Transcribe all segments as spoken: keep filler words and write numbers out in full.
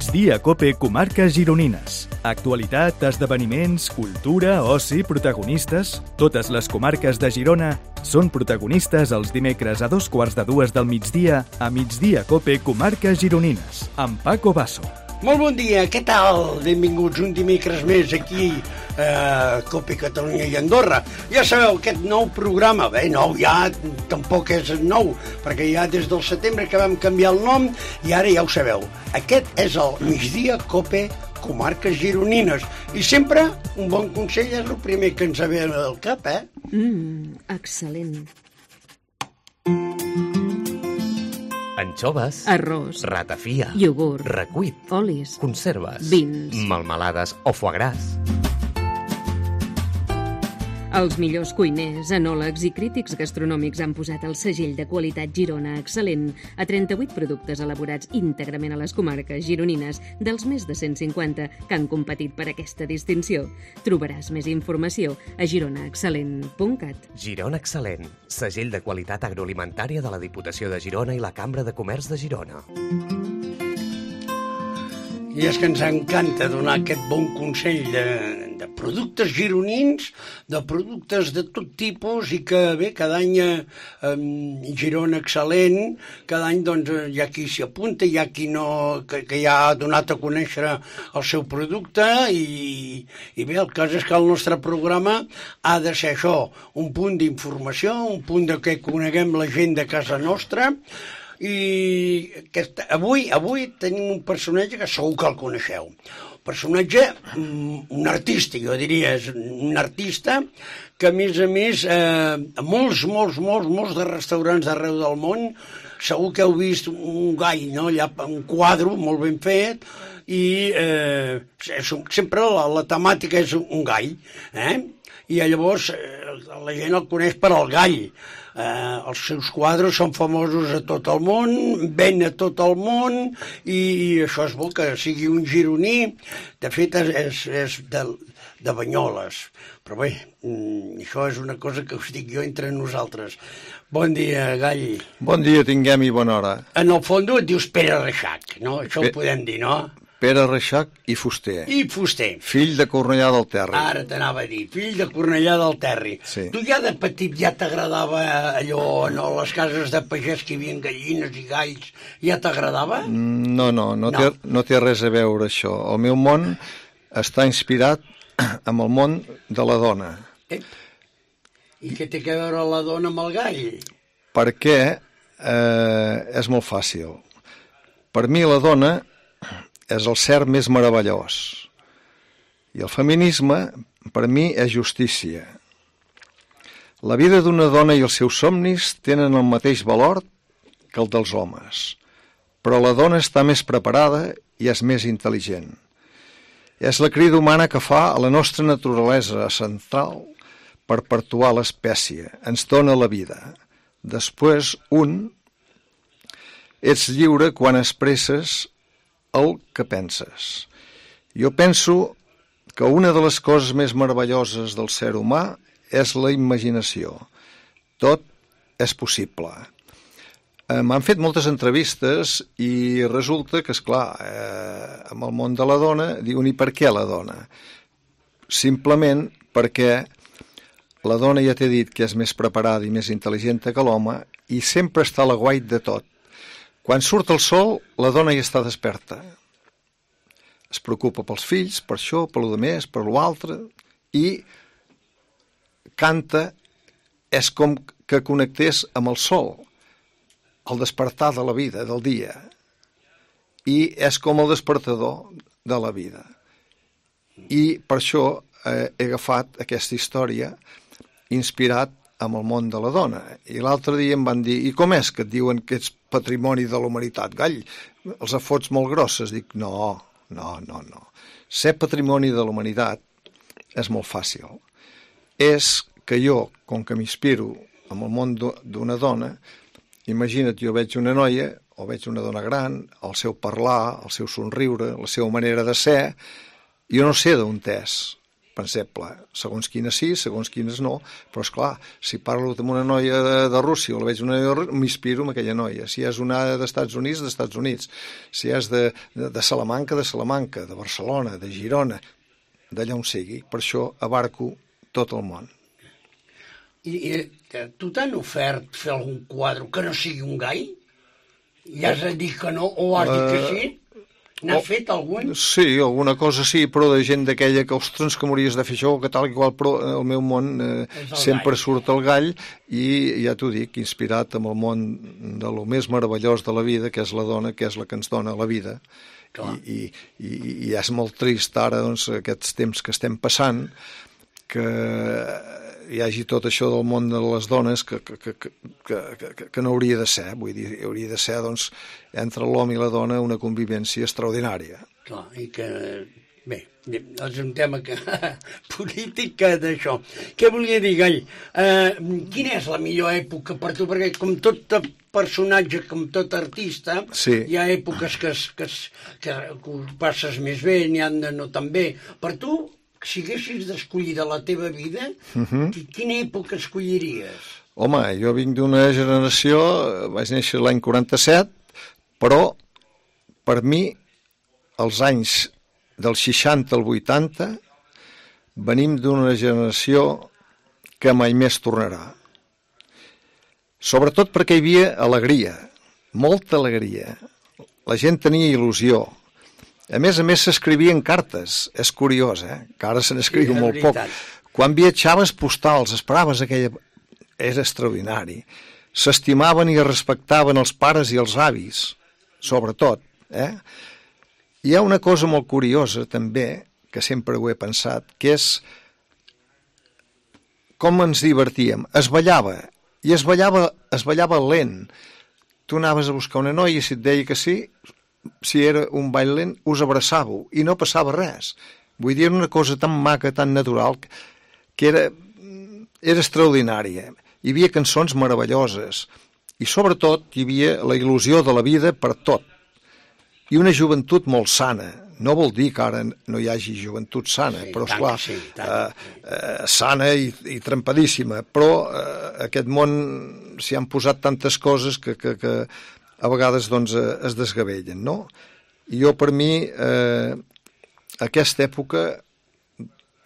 Migdia Cope Comarques Gironines. Actualitat, esdeveniments, cultura, oci, protagonistes... Totes les comarques de Girona són protagonistes els dimecres a dos quarts de dues del migdia a Migdia Cope Comarques Gironines, amb Paco Basso. Molt bon dia, què tal? Benvinguts un dimecres més aquí a Cope Catalunya i Andorra. Ja sabeu, aquest nou programa, bé, nou ja tampoc és nou, perquè ja des del setembre que vam canviar el nom i ara ja ho sabeu. Aquest és el Migdia Cope Comarques Gironines. I sempre un bon consell és el primer que ens ve al cap, eh? Mmm, excel·lent. Anxoves, arròs, ratafia, iogurt, recuit, olis, conserves, vins, melmelades o foie gras. Els millors cuiners, enòlegs i crítics gastronòmics han posat el segell de qualitat Girona excel·lent a trenta-vuit productes elaborats íntegrament a les comarques gironines dels més de cent cinquanta que han competit per aquesta distinció. Trobaràs més informació a girona excel·lent punt cat. Girona Excel·lent, segell de qualitat agroalimentària de la Diputació de Girona i la Cambra de Comerç de Girona. I és que ens encanta donar aquest bon consell de, de productes gironins, de productes de tot tipus, i que bé, cada any eh, Girona Excel·lent, cada any doncs, hi ha qui s'hi apunta, hi ha qui no, que, que ja ha donat a conèixer el seu producte, i, i bé, el cas és que el nostre programa ha de ser això, un punt d'informació, un punt de que coneguem la gent de casa nostra. I aquest, avui avui tenim un personatge que segur que el coneixeu. Un personatge, un artista, jo diria, és un artista que a més a més, eh, molts, molts, molts, molts de restaurants d'arreu del món, segur que heu vist un gall, no? Allà, un quadre molt ben fet, i eh, és un, sempre la, la temàtica és un gall, eh? I llavors eh, la gent el coneix per al gall. Eh, els seus quadres són famosos a tot el món, ven a tot el món, i, i això és bo que sigui un gironí. De fet és, és, és de, de Banyoles, però bé, això és una cosa que us dic jo entre nosaltres. Bon dia, Gall. Bon dia, tinguem i bona hora. En el fons et dius Pere Reixac, no? Això Pe- ho podem dir, no? Pere Reixac i Fuster. I Fuster. Fill de Cornellà del Terri. Ara t'anava a dir, fill de Cornellà del Terri. Sí. Tu ja de petit ja t'agradava allò, no, les cases de pagès que hi havia gallines i galls, ja t'agradava? No, no, no, No. Té, no té res a veure això. El meu món està inspirat amb el món de la dona. Ep. I què té a veure la dona amb el gall? Perquè eh, és molt fàcil. Per mi la dona és el ser més meravellós. I el feminisme, per mi, és justícia. La vida d'una dona i els seus somnis tenen el mateix valor que el dels homes, però la dona està més preparada i és més intel·ligent. És la crida humana que fa a la nostra naturalesa central per perpetuar l'espècie. Ens dona la vida. Després, un, ets lliure quan expresses el que penses. Jo penso que una de les coses més meravelloses del ser humà és la imaginació. Tot és possible. Eh, M'han fet moltes entrevistes i resulta que, esclar, eh, amb el món de la dona, diuen, i per què la dona? Simplement perquè la dona ja t'he dit que és més preparada i més intel·ligent que l'home i sempre està a l'aguait de tot. Quan surt el sol, la dona ja està desperta. Es preocupa pels fills, per això, per lo més, per lo altre, i canta, és com que connectés amb el sol, el despertar de la vida, del dia. I és com el despertador de la vida. I per això eh, he agafat aquesta història inspirat amb el món de la dona. I l'altre dia em van dir, i com és que et diuen que ets patrimoni de la humanitat? Gall, els afots molt grosses. Dic, no, no, no, no. Ser patrimoni de la humanitat és molt fàcil. És que jo, com que m'inspiro amb el món d'una dona, imagina't, jo veig una noia, o veig una dona gran, el seu parlar, el seu somriure, la seva manera de ser, jo no sé d'on és. per exemple, segons quines sí, segons quines no, però esclar, si parlo amb una noia de, de Rússia o la veig una noia de Rússia, m'inspiro en aquella noia. Si és una d'Estats Units, d'Estats Units. Si és de, de, de Salamanca, de Salamanca, de Barcelona, de Girona, d'allà on sigui. Per això abarco tot el món. I, i tu t'han ofert fer algun quadre que no sigui un gai? I has de dir que no o has dit que sí? N'has oh, fet algun? Sí, alguna cosa sí, però de gent d'aquella que, ostres, que m'hauries de fer això, que tal i qual, però el meu món eh, sempre gall. Surt el gall i ja t'ho dic, inspirat amb el món de lo més meravellós de la vida, que és la dona, que és la que ens dona la vida. I, i, i, i és molt trist ara, doncs, aquests temps que estem passant, que hi hagi tot això del món de les dones que, que, que, que, que, que no hauria de ser, vull dir, hauria de ser, doncs, entre l'home i la dona una convivència extraordinària. Clar, i que, bé, és un tema que, polític d'això. Què volia dir, Gall? Eh, quina és la millor època per tu? Perquè com tot personatge, com tot artista, sí. Hi ha èpoques que, que, que, que passes més bé, n'hi ha de no tan bé. Per tu, si haguessis d'escollir de la teva vida, uh-huh. Quina època escolliries? Home, jo vinc d'una generació, vaig néixer l'any quaranta-set, però per mi els anys del seixanta al vuitanta venim d'una generació que mai més tornarà. Sobretot perquè hi havia alegria, molta alegria. La gent tenia il·lusió. A més a més s'escrivien cartes, és curiós, eh? Que ara se n'escriu sí, molt poc. Quan viatjaves postals, esperaves aquella... Era extraordinari. S'estimaven i es respectaven els pares i els avis, sobretot. Eh? Hi ha una cosa molt curiosa també, que sempre ho he pensat, que és com ens divertíem. Es ballava, i es ballava, es ballava lent. Tu anaves a buscar una noia i si et deia que sí... si era un ball lent, us abraçàveu i no passava res. Vull dir, era una cosa tan maca, tan natural, que era, era extraordinària. Hi havia cançons meravelloses i sobretot hi havia la il·lusió de la vida per tot. I una joventut molt sana. No vol dir que ara no hi hagi joventut sana, sí, però esclar, sí, eh, eh, sana i, i trempadíssima. Però eh, aquest món s'hi han posat tantes coses que... que, que a vegades doncs, es desgavellen, no? I jo, per mi, eh, aquesta època,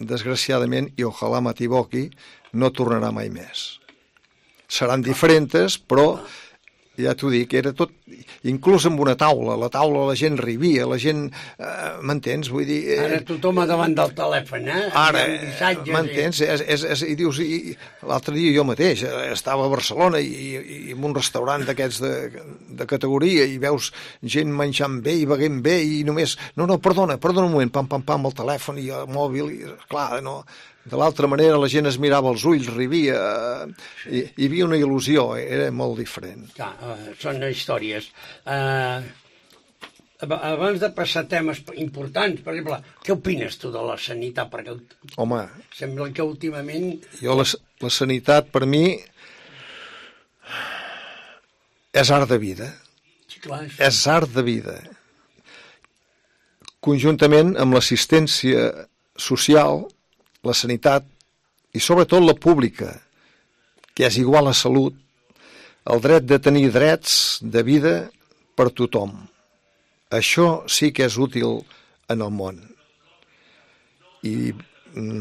desgraciadament, i ojalà m'equivoqui, no tornarà mai més. Seran diferents, però, ja t'ho dic, era tot, inclús amb una taula, la taula la gent rivia, la gent, eh, m'entens? Vull dir... Eh, ara tothom davant del telèfon, eh? Ara, m'entens? I... És, és, és, i dius, i, l'altre dia jo mateix estava a Barcelona i, i, i en un restaurant d'aquests de, de categoria i veus gent menjant bé i beguent bé i només, no, no, perdona, perdona un moment, pam, pam, pam, el telèfon i el mòbil, i clar, no... De l'altra manera la gent es mirava els ulls, rivia, hi, hi havia una il·lusió, era molt diferent. Clar, uh, són històries. Uh, abans de passar a temes importants, per exemple, què opines tu de la sanitat? Perquè Home, sembla que últimament... Jo la, la sanitat, per mi, és art de vida. Sí, clar, és... és art de vida. Conjuntament amb l'assistència social, la sanitat i sobretot la pública, que és igual a salut, el dret de tenir drets de vida per tothom. Això sí que és útil en el món. I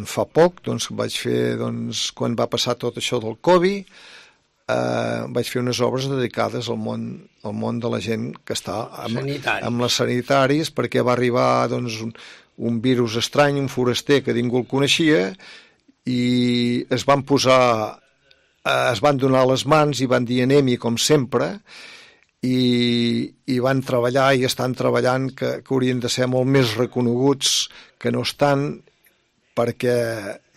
fa poc, doncs, vaig fer, doncs, quan va passar tot això del Covid, eh, vaig fer unes obres dedicades al món, al món de la gent que està amb, amb les sanitaris, perquè va arribar, doncs, un, un virus estrany, un foraster que ningú el coneixia, i es van posar, es van donar les mans i van dir anem-hi com sempre, i, i van treballar i estan treballant que, que haurien de ser molt més reconeguts que no estan, perquè,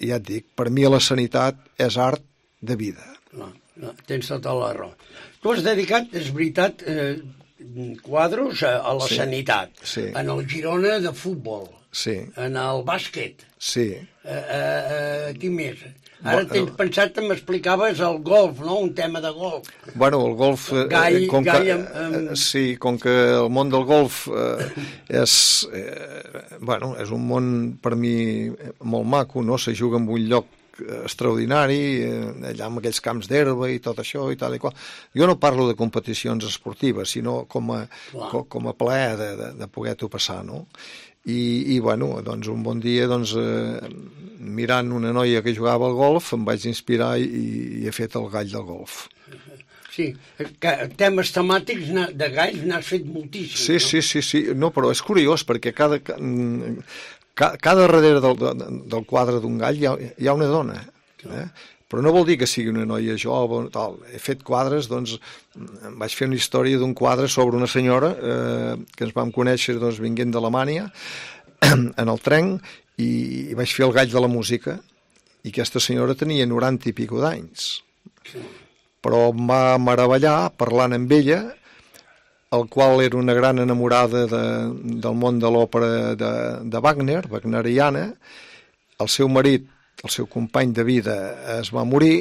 ja et dic, per mi la sanitat és art de vida. No, no, tens tota la raó. Tu has dedicat, és veritat, eh, quadros a, a la sí, sanitat. Sí. En el Girona de futbol. Sí. En el bàsquet. Sí. Eh, eh, eh, qui més? Ara tens pensat que m'explicaves el golf, no? Un tema de golf. Bueno, el golf... Gall, com gall que, amb, amb... Sí, com que el món del golf eh, és, eh, bueno, és un món per mi molt maco, no? Se juga en un lloc extraordinari, allà amb aquells camps d'herba i tot això i tal i qual. Jo no parlo de competicions esportives, sinó com a, com, com a plaer de, de, de poder-t'ho passar, no? I, i bueno, doncs un bon dia, doncs, eh, mirant una noia que jugava al golf, em vaig inspirar i, i he fet el gall del golf. Sí, que temes temàtics de galls n'has fet moltíssim. Sí, no? sí, sí, sí, no, però és curiós perquè cada... Cada darrere del, del quadre d'un gall hi ha, hi ha una dona, eh? Però no vol dir que sigui una noia jove, tal. He fet quadres, doncs, vaig fer una història d'un quadre sobre una senyora eh, que ens vam conèixer doncs, vinguent d'Alemanya en el tren i, i vaig fer el gall de la música i aquesta senyora tenia noranta i pico d'anys. Però em va meravellar parlant amb ella, el qual era una gran enamorada de, del món de l'òpera de, de Wagner, wagneriana. El seu marit, el seu company de vida, es va morir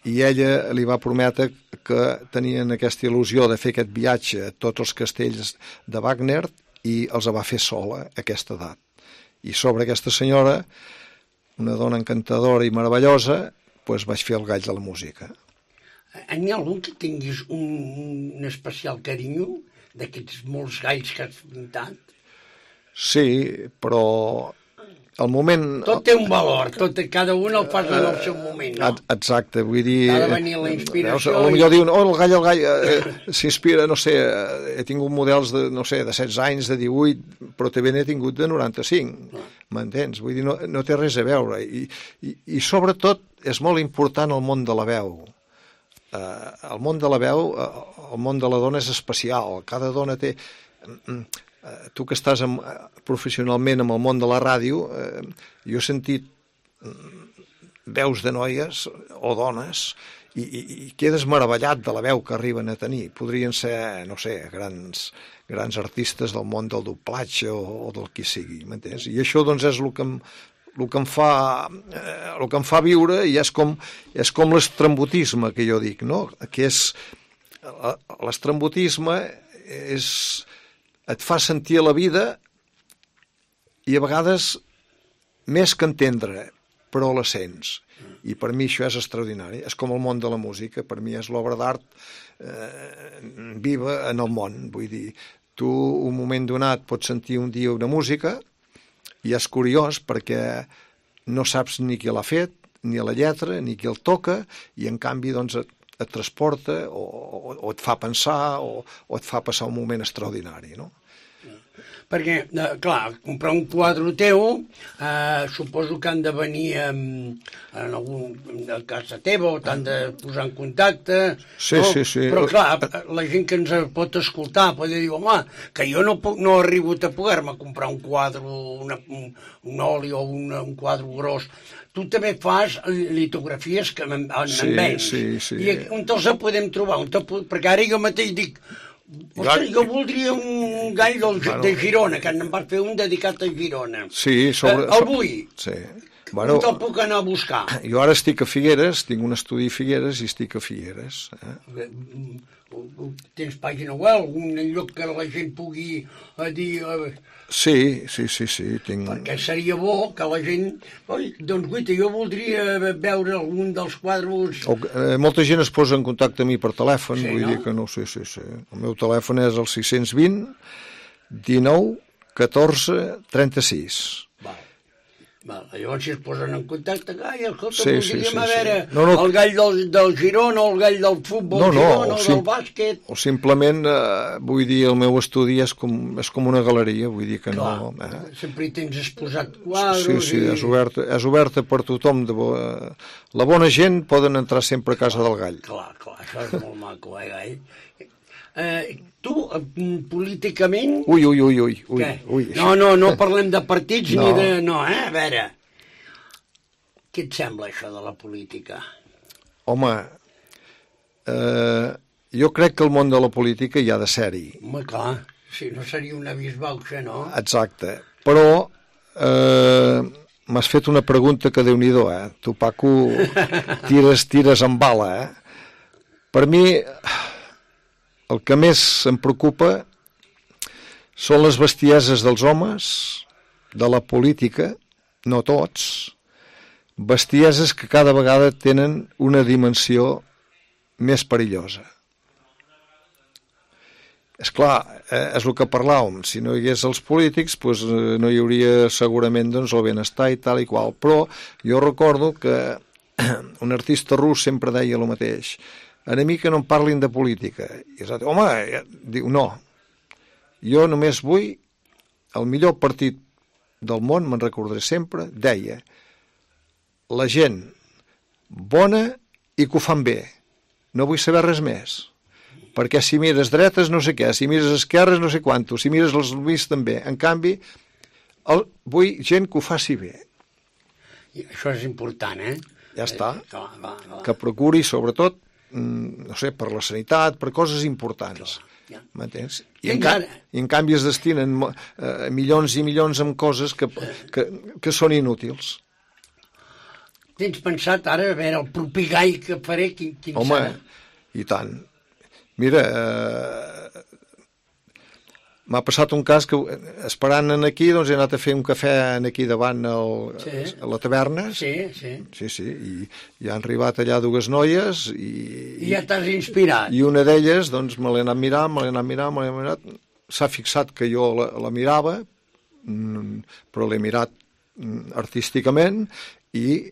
i ella li va prometre que tenien aquesta il·lusió de fer aquest viatge a tots els castells de Wagner i els va fer sola a aquesta edat. I sobre aquesta senyora, una dona encantadora i meravellosa, doncs vaig fer el gall de la música. N'hi ha algun que tinguis un, un especial carinyo d'aquests molts galls que has pintat? Sí, però al moment... Tot té un valor, tot, cada un el fas en el seu moment, no? Exacte, vull dir... Ha de venir la inspiració... Veus, potser diuen, oh, el gall, el gall, eh, s'inspira, no sé, he tingut models de, no sé, de setze anys, de divuit, però també n'he tingut de noranta-cinc, m'entens? Vull dir, no, no té res a veure. I, i, I sobretot és molt important el món de la veu. Uh, el món de la veu, uh, el món de la dona és especial, cada dona té... Uh, tu que estàs amb, uh, professionalment amb el món de la ràdio, uh, jo he sentit uh, veus de noies o dones i, i, i quedes meravellat de la veu que arriben a tenir. Podrien ser, no sé, grans, grans artistes del món del doblatge o, o del qui sigui, m'entens? I això doncs és el que em el que em fa, eh, el que em fa viure i és com, és com l'estrambotisme que jo dic, no? Que és, l'estrambotisme és, et fa sentir la vida i a vegades més que entendre, però la sents. I per mi això és extraordinari. És com el món de la música, per mi és l'obra d'art eh, viva en el món. Vull dir, tu un moment donat pots sentir un dia una música i és curiós perquè no saps ni qui l'ha fet, ni la lletra, ni qui el toca, i en canvi doncs, et, et transporta o, o, o et fa pensar o, o et fa passar un moment extraordinari, no? Perquè, eh, clar, comprar un quadre teu, eh, suposo que han de venir en, en algun, a casa teva o t'han de posar en contacte. Sí, no? sí, sí. Però, clar, la gent que ens pot escoltar pot dir, home, que jo no, puc, no he arribat a poder-me comprar un quadre, una, un, un oli o una, un quadre gros. Tu també fas litografies que en, en sí, vens. Sí, sí. I on te'ls podem trobar? On te, perquè ara jo mateix dic, ostres, jo voldria un gall del, bueno, de Girona, que en vas fer un dedicat a Girona. Sí, sobre... Eh, el vull. Sí. Bueno, on te'l puc anar a buscar? Jo ara estic a Figueres, tinc un estudi a Figueres i estic a Figueres. Eh? Tens pàgina web, algun lloc que la gent pugui eh, dir... Eh, sí, sí, sí, sí. Tinc... Perquè seria bo que la gent... Oi, doncs, guaita, jo voldria veure algun dels quadres... O, eh, molta gent es posa en contacte amb mi per telèfon, sí, vull no? dir que no, sí, sí, sí. El meu telèfon és el sis cents vint, dinou, catorze, trenta-sis. Val. Val. Llavors, si es posen en contacte, ai, escolta, sí, voldríem sí, sí, a veure sí. No, no. el gall del, del Girona, o el gall del futbol no, no, Girona, o, o del sim... bàsquet... O simplement, eh, vull dir, el meu estudi és com, és com una galeria, vull dir que Clar, no... Eh? Sempre hi tens exposat quadres... Sí, sí, i... és oberta, és oberta per tothom. De bo... La bona gent poden entrar sempre a casa del gall. Clar, clar, això és molt maco, eh, gall? Eh, tu, políticament... Ui, ui, ui, ui, ui, ui. No, no, no parlem de partits no. ni de... No, eh? A veure, què et sembla això de la política? Home, eh, jo crec que el món de la política hi ha de ser-hi. Home, clar, si no seria una bisbauxa, no? Exacte, però eh, m'has fet una pregunta que Déu-n'hi-do, eh? Tu, Paco, tires, tires amb bala, eh? Per mi, el que més em preocupa són les bestieses dels homes, de la política, no tots, bestieses que cada vegada tenen una dimensió més perillosa. És clar, eh, és el que parlàvem, si no hi hagués els polítics doncs, eh, no hi hauria segurament doncs, el benestar i tal i qual, però jo recordo que un artista rus sempre deia el mateix, a mi que no em parlin de política, i és, home, ja, diu, no, jo només vull el millor partit del món, me'n recordaré sempre, deia, la gent bona i que ho fan bé, no vull saber res més, perquè si mires dretes no sé què, si mires esquerres no sé quantos, si mires els mig també. En canvi, el, vull gent que ho faci bé. I això és important, eh? Ja està. Eh, clar, clar, clar. Que procuri, sobretot, no sé, per la sanitat, per coses importants. Ja. M'entens? I, en ca I en canvi es destinen eh, milions i milions en coses que, que, que són inútils. Tens pensat ara, a veure, el propi gai que faré, quin, quin Home, serà? I tant. Mira, eh, m'ha passat un cas que esperant en aquí doncs he anat a fer un cafè en aquí davant el, sí. a la taverna. Sí, sí. Sí, sí, i, i han arribat allà dues noies i... I ja t'has inspirat. I una d'elles, doncs, me l'he anat mirant, me l'he anat mirant, me l'he mirat, s'ha fixat que jo la, la mirava, però l'he mirat artísticament i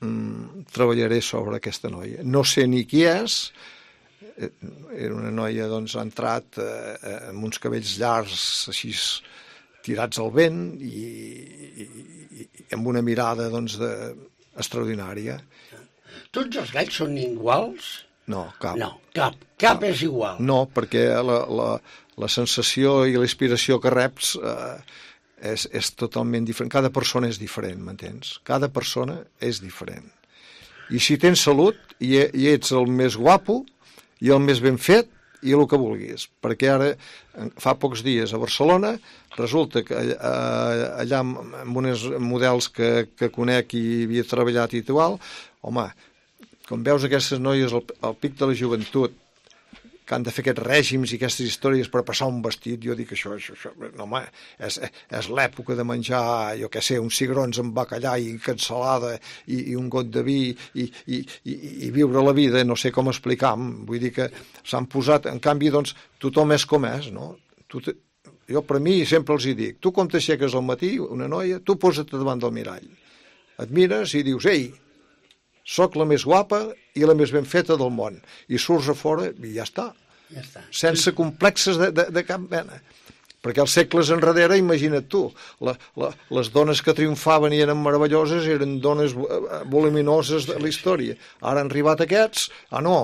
mm, treballaré sobre aquesta noia. No sé ni qui és, era una noia doncs, ha entrat eh, amb uns cabells llargs així tirats al vent i, i, i amb una mirada doncs, de, extraordinària. Tots els galls són iguals? No, cap. No, cap, cap no. És igual. No, perquè la, la, la sensació i la inspiració que reps eh, és, és totalment diferent. Cada persona és diferent, m'entens? Cada persona és diferent. I si tens salut i, i ets el més guapo i el més ben fet i el que vulguis, perquè ara fa pocs dies a Barcelona resulta que allà amb uns models que, que conec i havia treballat i igual, home, com veus aquestes noies al, al pic de la joventut que han de fer aquests règims i aquestes històries per passar un vestit, jo dic això, això, això no, home, és, és l'època de menjar, jo què sé, uns cigrons amb bacallà i cansalada i, i un got de vi i, i, i, i viure la vida, no sé com explicar, vull dir que s'han posat, en canvi, doncs, tothom és com és, no? Tu te, jo per mi sempre els hi dic, tu com t'aixeques al matí, una noia, tu posa't davant del mirall, et mires i dius, ei, soc la més guapa i la més ben feta del món. I surts a fora i ja està. Ja està. Sense complexes de, de, de cap mena. Perquè als segles enrere, imagina't tu, la, la, les dones que triomfaven i eren meravelloses eren dones voluminoses de la història. Ara han arribat aquests, ah no,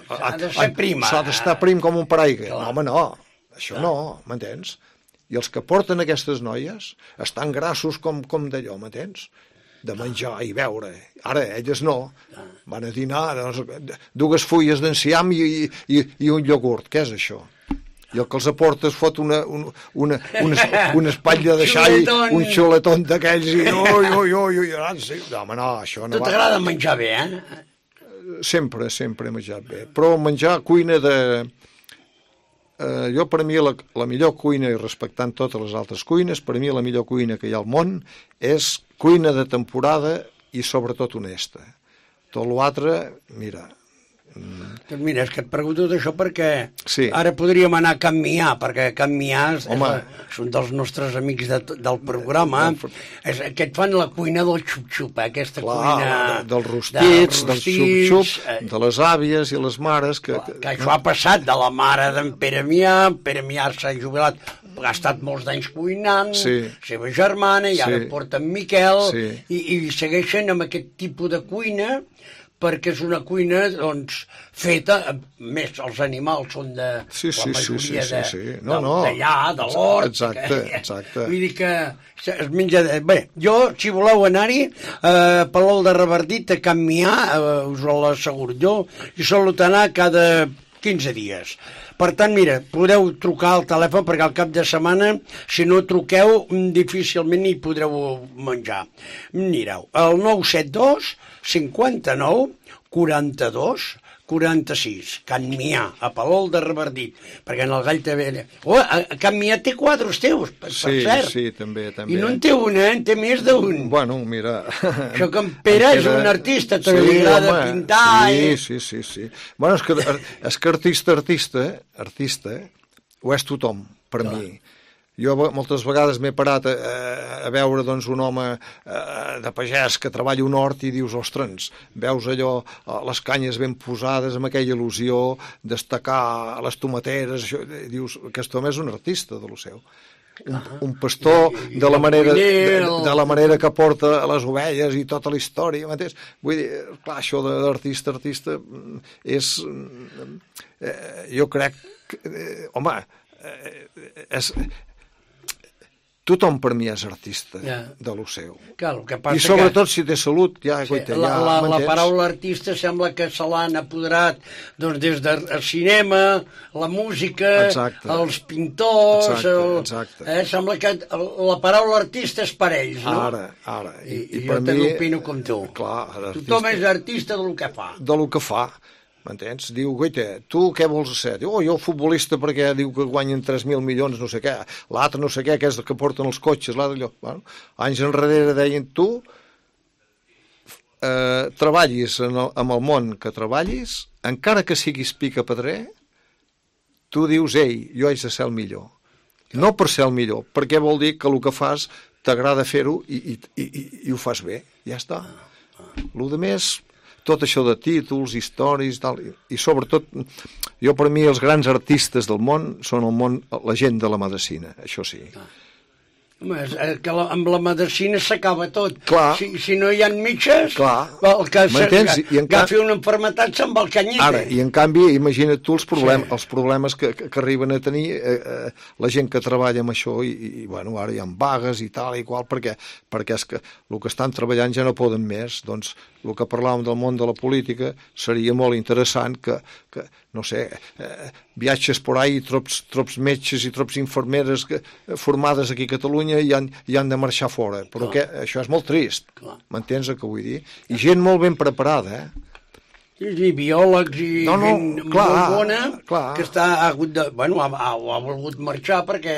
s'ha de ser prima. S'ha d'estar prim com un paraigua. No, home, no, això no, m'entens? I els que porten aquestes noies estan grassos com, com d'allò, m'entens? De menjar i beure. Ara, elles no. Van a dinar doncs, dues fulles d'enciam i, i, i un iogurt. Què és això? I el que els aporta es fot una, una, una, una, una espatlla de xai, un xuletón d'aquells i ui, ui, ui, ui, sí. No, home, no, això no va. Tu t'agrada menjar bé, eh? Sempre, sempre he menjat bé. Però menjar cuina de... Eh, jo, per mi, la, la millor cuina, i respectant totes les altres cuines, per mi la millor cuina que hi ha al món és cuina de temporada i sobretot honesta. Tot l'altre, mira... Doncs mira, és que et pregunto d'això perquè sí. Ara podríem anar a Can Mià, perquè Can Mià és, és un dels nostres amics de, del programa. És, que et fan la cuina del xup-xup, eh? Aquesta clar, cuina... De, dels rostits, del xup-xup, eh, de les àvies i les mares... Que, que, que això ha passat de la mare d'en Pere Mià, Pere Mià s'ha jubilat, ha estat molts d'anys cuinant, sí. seva germana, i ara sí. porta en Miquel, sí. i, i segueixen amb aquest tipus de cuina, perquè és una cuina doncs, feta, més els animals són de sí, sí, la majoria sí, sí, sí, sí. No, de, no. d'allà, de l'hort. Exacte, exacte. Vull dir que es menja... De... Bé, jo, si voleu anar-hi, eh, Palol de Revardit, a Can Mià, eh, us l'asseguro jo, i solut anar cada quinze dies. Per tant, mira, podeu trucar al telèfon perquè al cap de setmana, si no truqueu, difícilment hi podreu menjar. Mireu, el nou set dos cinquanta-nou quaranta-dos quaranta-sis, Can Mià, a Palol de Revardit, perquè en el Gall també... Oh, a Can Mià té quadres teus, per, sí, per cert. Sí, també, també. I no en té un, eh? En té més d'un. Bueno, mira... Això que en Pere en és un artista, també sí, li agrada home, pintar... Sí, i... sí, sí, sí. Bueno, és que, és que artista, artista, artista, ho és tothom, per Clar. mi. Jo moltes vegades m'he parat a, a veure doncs, un home eh, de pagès que treballa un hort i dius, ostres, veus allò, les canyes ben posades amb aquella il·lusió, destacar les tomateres, això, i dius, aquest home és un artista de lo seu. Un, un pastor de la, manera, de, de la manera que porta les ovelles i tota la història, m'entens? Vull dir, clar, això d'artista, artista, és... Eh, jo crec que, eh, home, eh, és... Tothom per mi és artista ja. de lo seu. Clar, que passa I sobretot que... si té salut, ja, sí, goita, la, ja la, la paraula artista sembla que se l'han apoderat doncs, des del cinema, la música, exacte. els pintors... Exacte, el, exacte. Eh, sembla que la paraula artista és per ells, no? Ara, ara. I, I, i jo també opino com tu. Clar, artista, tothom és artista del que fa. De lo que fa. M'entens? Diu, goita, tu què vols ser? Diu, oh, jo futbolista perquè diu que guanyen tres mil milions, no sé què. L'altre no sé què, que és el que porten els cotxes, l'altre allò. Bueno, anys enrere deien, tu eh, treballis en el, en el món que treballis, encara que siguis pica-pedrer, tu dius, ei, jo haig de ser el millor. No per ser el millor, perquè vol dir que el que fas t'agrada fer-ho i, i, i, i, i ho fas bé. Ja està. Lo de més... tot això de títols, històries, tal, i, i sobretot, jo per mi els grans artistes del món són el món, la gent de la medicina, això sí. Ah. Home, és que la, amb la medicina s'acaba tot. Clar. Si, si no hi ha metges, Clar. el que agafi can... una enfermetat se'n va al canyite. Ara, i en canvi, imagina't tu els, problem, sí. els problemes que, que, que arriben a tenir eh, eh, la gent que treballa amb això i, i bueno, ara hi ha vagues i tal i qual, perquè, perquè és que el que estan treballant ja no poden més. Doncs el que parlàvem del món de la política seria molt interessant que, que no sé, eh, viatges por ahí, trops, trops metges i trops infermeres que, formades aquí a Catalunya i han, i han de marxar fora. Però que, això és molt trist, m'entens el que vull dir? I gent molt ben preparada, eh? I biòlegs i no, no, gent clar, molt bona clar. que està, ha, hagut de, bueno, ha, ha, ha volgut marxar perquè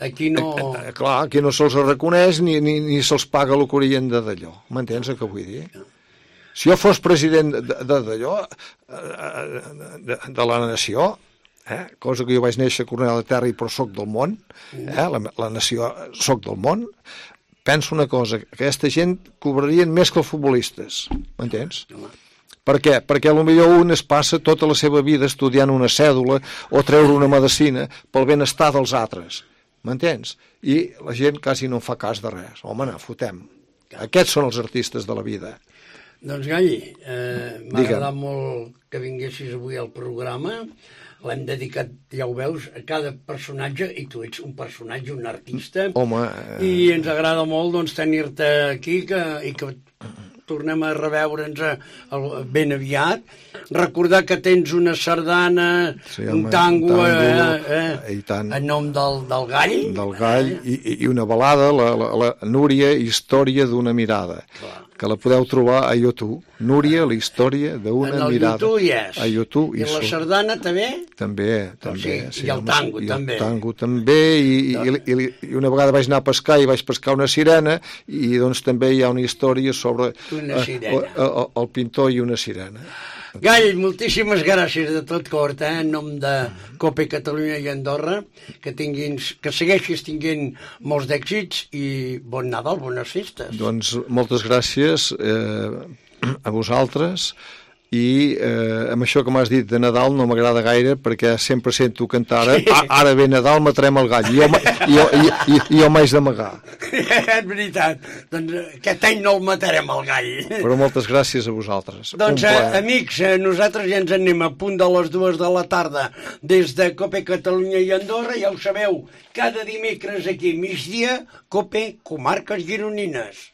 aquí no... Eh, eh, clar, aquí no se'ls reconeix ni, ni, ni se'ls paga el que haurien de d'allò. M'entens el que vull dir? Si jo fos president d'allò, de, de, de la nació, eh, cosa que jo vaig néixer a Cornellà de Terri però soc del món, eh, la, la nació soc del món, penso una cosa, que aquesta gent cobrarien més que els futbolistes, m'entens? Per què? Perquè potser un es passa tota la seva vida estudiant una cèdula o treure una medicina pel benestar dels altres, m'entens? I la gent quasi no fa cas de res. Home, no, fotem. Aquests són els artistes de la vida. Doncs, Galli, eh, m'ha agradat molt que vinguessis avui al programa. L'hem dedicat, ja ho veus, a cada personatge, i tu ets un personatge, un artista. Home... Eh... I ens agrada molt doncs, tenir-te aquí que, i que tornem a reveure'ns ben aviat. Recordar que tens una sardana, sí, home, un tango, tango eh, eh, tant, en nom del, del gall. Del gall, eh? i, i una balada, la, la, la Núria, història d'una mirada. Clar. Que la podeu trobar a YouTube. Núria, la història d'una mirada. En el YouTube hi és. A YouTube. I, I la sardana també? També, també. Sí, sí, I el tango i també. I el tango també, i, i, i, i una vegada vaig anar a pescar i vaig pescar una sirena, i doncs també hi ha una història sobre una sirena. El, el, el pintor i una sirena. Gall, moltíssimes gràcies de tot cor, eh, en nom de COPE Catalunya i Andorra, que tinguins, que segueixis tinguent molts d'èxits i bon Nadal, bones festes. Doncs moltes gràcies eh, a vosaltres, i eh, amb això que m'has dit de Nadal no m'agrada gaire perquè sempre sento cantar ara, sí. Ara ve Nadal, matarem el gall, i jo, jo, jo, jo m'haig d'amagar. És veritat, doncs aquest any no el matarem el gall. Però moltes gràcies a vosaltres. Doncs eh, amics, eh, nosaltres ja ens anem a punt de les dues de la tarda des de COPE Catalunya i Andorra, ja ho sabeu, cada dimecres aquí migdia, COPE Comarques Gironines.